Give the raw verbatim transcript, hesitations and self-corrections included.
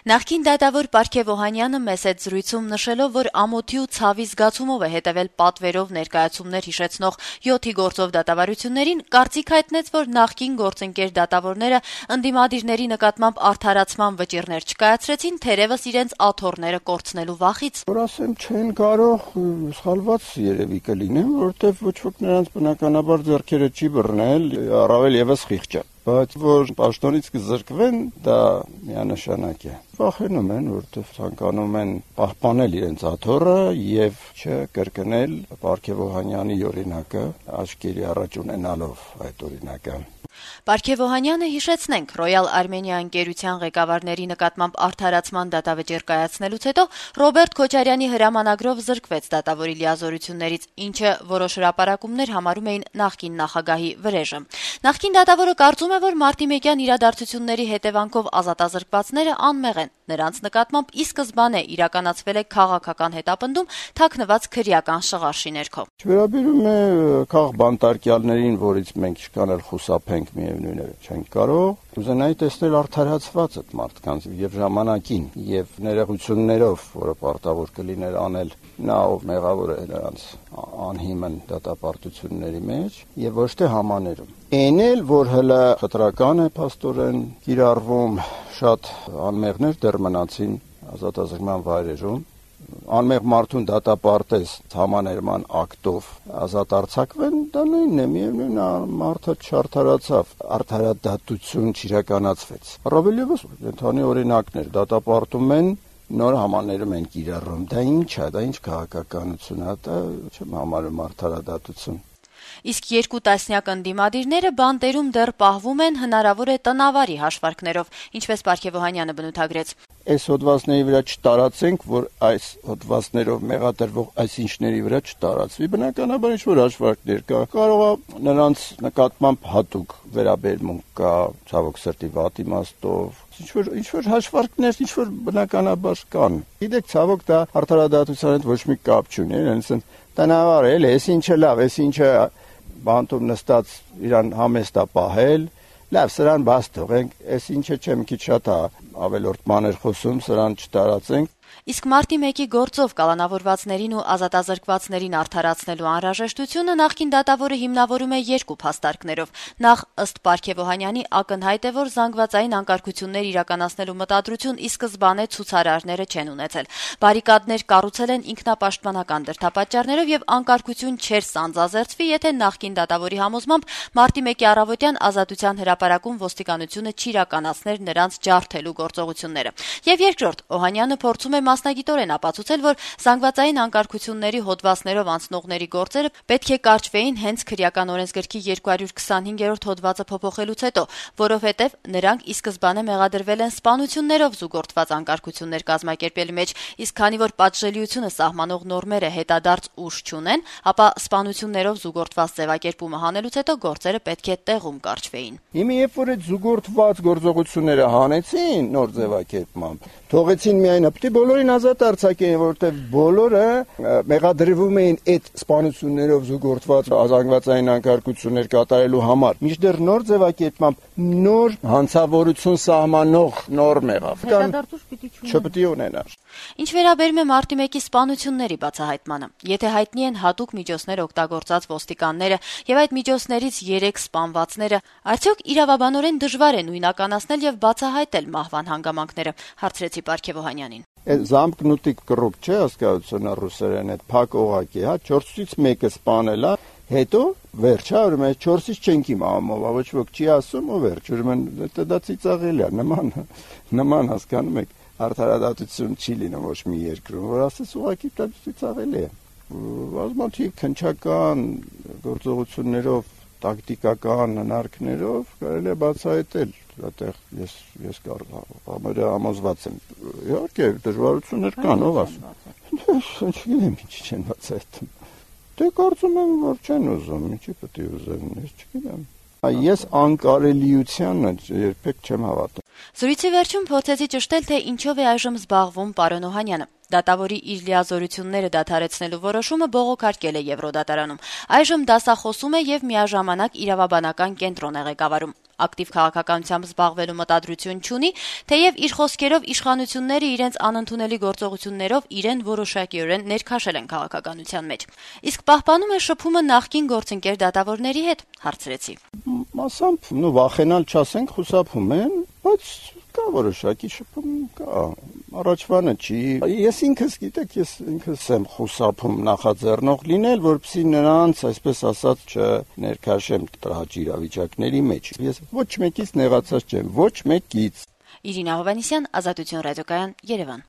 Նախկին դատավոր Պարքև Օհանյանը մեծ հետ զրույցում նշելով, որ ամոթի ու ցավի զգացումով է հետեւել պատվերով ներկայացումներ հիշեցնող յոթի գործով դատավարություններին, կարծիք հայտնեց, որ նախկին գործընկեր դատավորները ընդդիմադիրների նկատմամբ արդարացման վճիռներ չկայացրեցին, թերեւս իրենց աթոռները կորցնելու վախից։ Որ ասեմ, չեն կարող սխալված երևի կլինեմ, որովհետեւ ոչ ոք նրանց բնականաբար ձեռքերը չի բռնել, առավել եւս խիղճը։ Բայց որ պաշտոնից կզրկվեն, դա միանշանակ է։ Վախենում են, որովհետև ցանկանում են պահպանել իրենց աթոռը եւ չկրկնել Պարքև Օհանյանի օրինակը, աչքերի առաջ ունենալով այդ օրինակը։ Պարքև Օհանյանը, հիշեցնենք, Ռոյալ Արմենիա ընկերության ղեկավարների նկատմամբ արդարացման դատավճիռ կայացնելուց հետո Ռոբերտ Քոչարյանի հրամանագրով զրկվեց դատավորի լիազորություններից, ինչը որոշ հրապարակումներ համարում էին նախկին նախագահի վրեժը։ Նախկին դատավորը կարծում է, որ մարտիմեկյան իրադարձությունների հետևանքով ազատազրկվածները անմեղ են։ Նրանց նկատմամբ ի սկզբանե իրականացվել է քաղաքական հետապնդում թաքնված քրեական շղարշի ներքո։ Վերաբերում է քաղ բանտարկյալներին, որից մենք ինչքան էլ խուսափենք, միևնույն է, չենք կարող, ուզենայի տեսնել արդարացված այդ մարդկանց եւ ժամանակին եւ ներողություններով, որը պարտավոր կլիներ անել նա, ով մեղավոր է նրանց անհիմն դատապարտությունների մեջ եւ ոչ թե համաներում։ Այն էլ, որ հələ խտրական է փաստորեն կիրառվում, շատ անմեղներ դեռ մնացին ազատազրկման վայրերում, անմեղ մարդուն դատապարտես համաներման ակտով ազատ արձակվեն, դա նույնն է, միևնույն է, մարդը չարդարացավ, արդարադատություն չիրականացվեց։ Առավել ևս ընդհանուր օրինակներ դատապարտում են, նոր համաներում են կիրառում, դա ինչ է, դա ինչ քաղաքականություն է, դա չեմ համարում արդարադատություն։ Իսկ երկու տասնյակ ընդդիմադիրները բանտերում դեռ պահվում են, հնարավոր է տնավարի հաշվարկներով, ինչպես Պարքև Օհանյանը բնութագրեց։ Այս հոդվածների վրա չտարածենք, որ այս հոդվածներով մեղադրվող այսինչների վրա չտարածվի, բնականաբար ինչ-որ հաշվարկներ կա, կարող է նրանց նկատմամբ հատուկ վերաբերմունք կա, ցավոք սրտի վատ իմաստով, ինչ-որ ինչ-որ հաշվարկներ, ինչ-որ բնականաբար կան։ Գիտեք, ցավոք դա արդարադատության հետ ոչ մի կապ չունի, այնպես տնավար է, էս ինչը լավ, էս ինչը բանտում նստած իրան համեստ է պահել, լավ, սրան բաց թողենք, էս ինչը չեմ քիչ շատ է ավելորդ մանր խոսում, սրան չտարածենք։ Իսկ մարտի մեկի գործով կալանավորվածներին ու ազատազրկվածներին արդարացնելու անհրաժեշտությունը նախկին դատավորը հիմնավորում է երկու փաստարկներով։ Նախ, ըստ Պարքև Օհանյանի, ակնհայտ է, որ զանգվածային անկարգություններ իրականացնելու մտադրություն ի սկզբանե ցուցարարները չեն ունեցել։ Բարիկադներ կառուցել են ինքնապաշտպանական դրդապատճառներով եւ անկարգություն չէր սանձազերծվի, եթե նախկին դատավորի համոզմամբ մարտի մեկի առավոտյան ազատության հրապարակում ոստիկանությունը չիրականացներ նրանց ջարդելու գործողությունները։ Եվ երկրորդ, Օհանյանը փորձում է մասնագիտորեն ապացուցել, որ զանգվածային անկարգությունների հոդվածներով անցնողների գործերը պետք է կարճվեին հենց քրեական օրենսգրքի երկու հարյուր քսանհինգերորդ հոդվածը փոփոխելուց հետո, որովհետև նրանք ի սկզբանե մեղադրվել են սպանություններով զուգորդված անկարգություններ կազմակերպելու մեջ, իսկ քանի որ պատժելիությունը սահմանող նորմերը հետադարձ ուժ չունեն, ապա սպանություններով զուգորդված ձևակերպումը հանելուց հետո գործերը պետք է տեղում կարճվեին։ Հիմա երբ որ այդ զուգորդված գործողությունները հանեցին նոր ձևակերպմամբ, թողեցին միայն պիտի բոլորին ազատ արձակեն, որովհետև բոլորը մեղադրվում էին այդ սպանություններով զուգորդված ազանգվածային անկարգություններ կատարելու համար։ Մինչդեռ նոր ձևակերպմամբ նոր հանցավորություն սահմանող նորմ եղավ։ Չպիտի ունենար։ Ինչ վերաբերում է մարտի մեկի սպանությունների բացահայտմանը, եթե հայտնի են հատուկ միջոցներ օգտագործած ոստիկանները եւ այդ միջոցներից երեք սպանվածները, արդյոք իրավաբանորեն դժվար է նույնականացնել եւ բացահայտել մահվան հանգամանքները, հարցրեցի Պարքև Օհանյանին։ Զամկնուտիկ կռուկ չէ հասկացությունը ռուսերեն այդ փակ օղակի, հա, չորսից մեկը սպանել է, հետո վերջ, հա, ուրեմն չորսից չենք իմանում, ոչ ոք չի ասում, ու վերջ, ուրեմն դա ծիծաղելի է, նման նման հասկանում եք, արդարադատություն չի լինում ոչ մի երկրում, որ ասես ուղղակի դա ծիծաղելի է։ Բազմաթիվ քննչական գործողություններով, տակտիկական հնարքներով կարելի է բացահայտել, այդտեղ ես ես համոզված եմ։ Իհարկե դժվարություններ կան, ով ասում։ Չգիտեմ ինչ չեն բացահայտում։ Դե կարծում եմ, որ չեն ուզում, ինչի պետք է ուզեն, ես չգիտեմ։ Ես անկարելիությանը երբեք չեմ հավատում։ Զրույցի վերջում փորձեցի ճշտել, թե ինչով է այժմ զբաղվում պարոն Օհանյանը։ Դատավորի իր լիազորությունները դադարեցնելու որոշումը բողոքարկել է Եվրոդատարանում։ Այժմ դասախոսում է եւ միաժամանակ իրավաբանական կենտրոն է ղեկավարում։ Ակտիվ քաղաքականությամբ զբաղվելու մտադրություն չունի, թեև իր խոսքերով իշխանությունները իրենց անընդունելի գործողություններով իրեն որոշակիորեն ներքաշել են քաղաքականության մեջ։ Իսկ պահպանում է շփումը նախկին գործընկեր դատավորների հետ, հարցրեցի։ Մասամբ, նո վախենալ չասենք, խուսափում են, բայց կա որոշակի շփում կա։ Առաջվանը չի։ Ես ինքս, գիտեք, ես ինքս եմ խուսափում նախաձեռնող լինել, որպեսզի նրանց, այսպես ասած, չներքաշեմ տրահաճ իրավիճակների մեջ։ Ես ոչ մեկից նեղացած չեմ, ոչ մեկից։ Իրինա Հովհաննիսյան, Ազատություն ռադիոկայան, Երևան։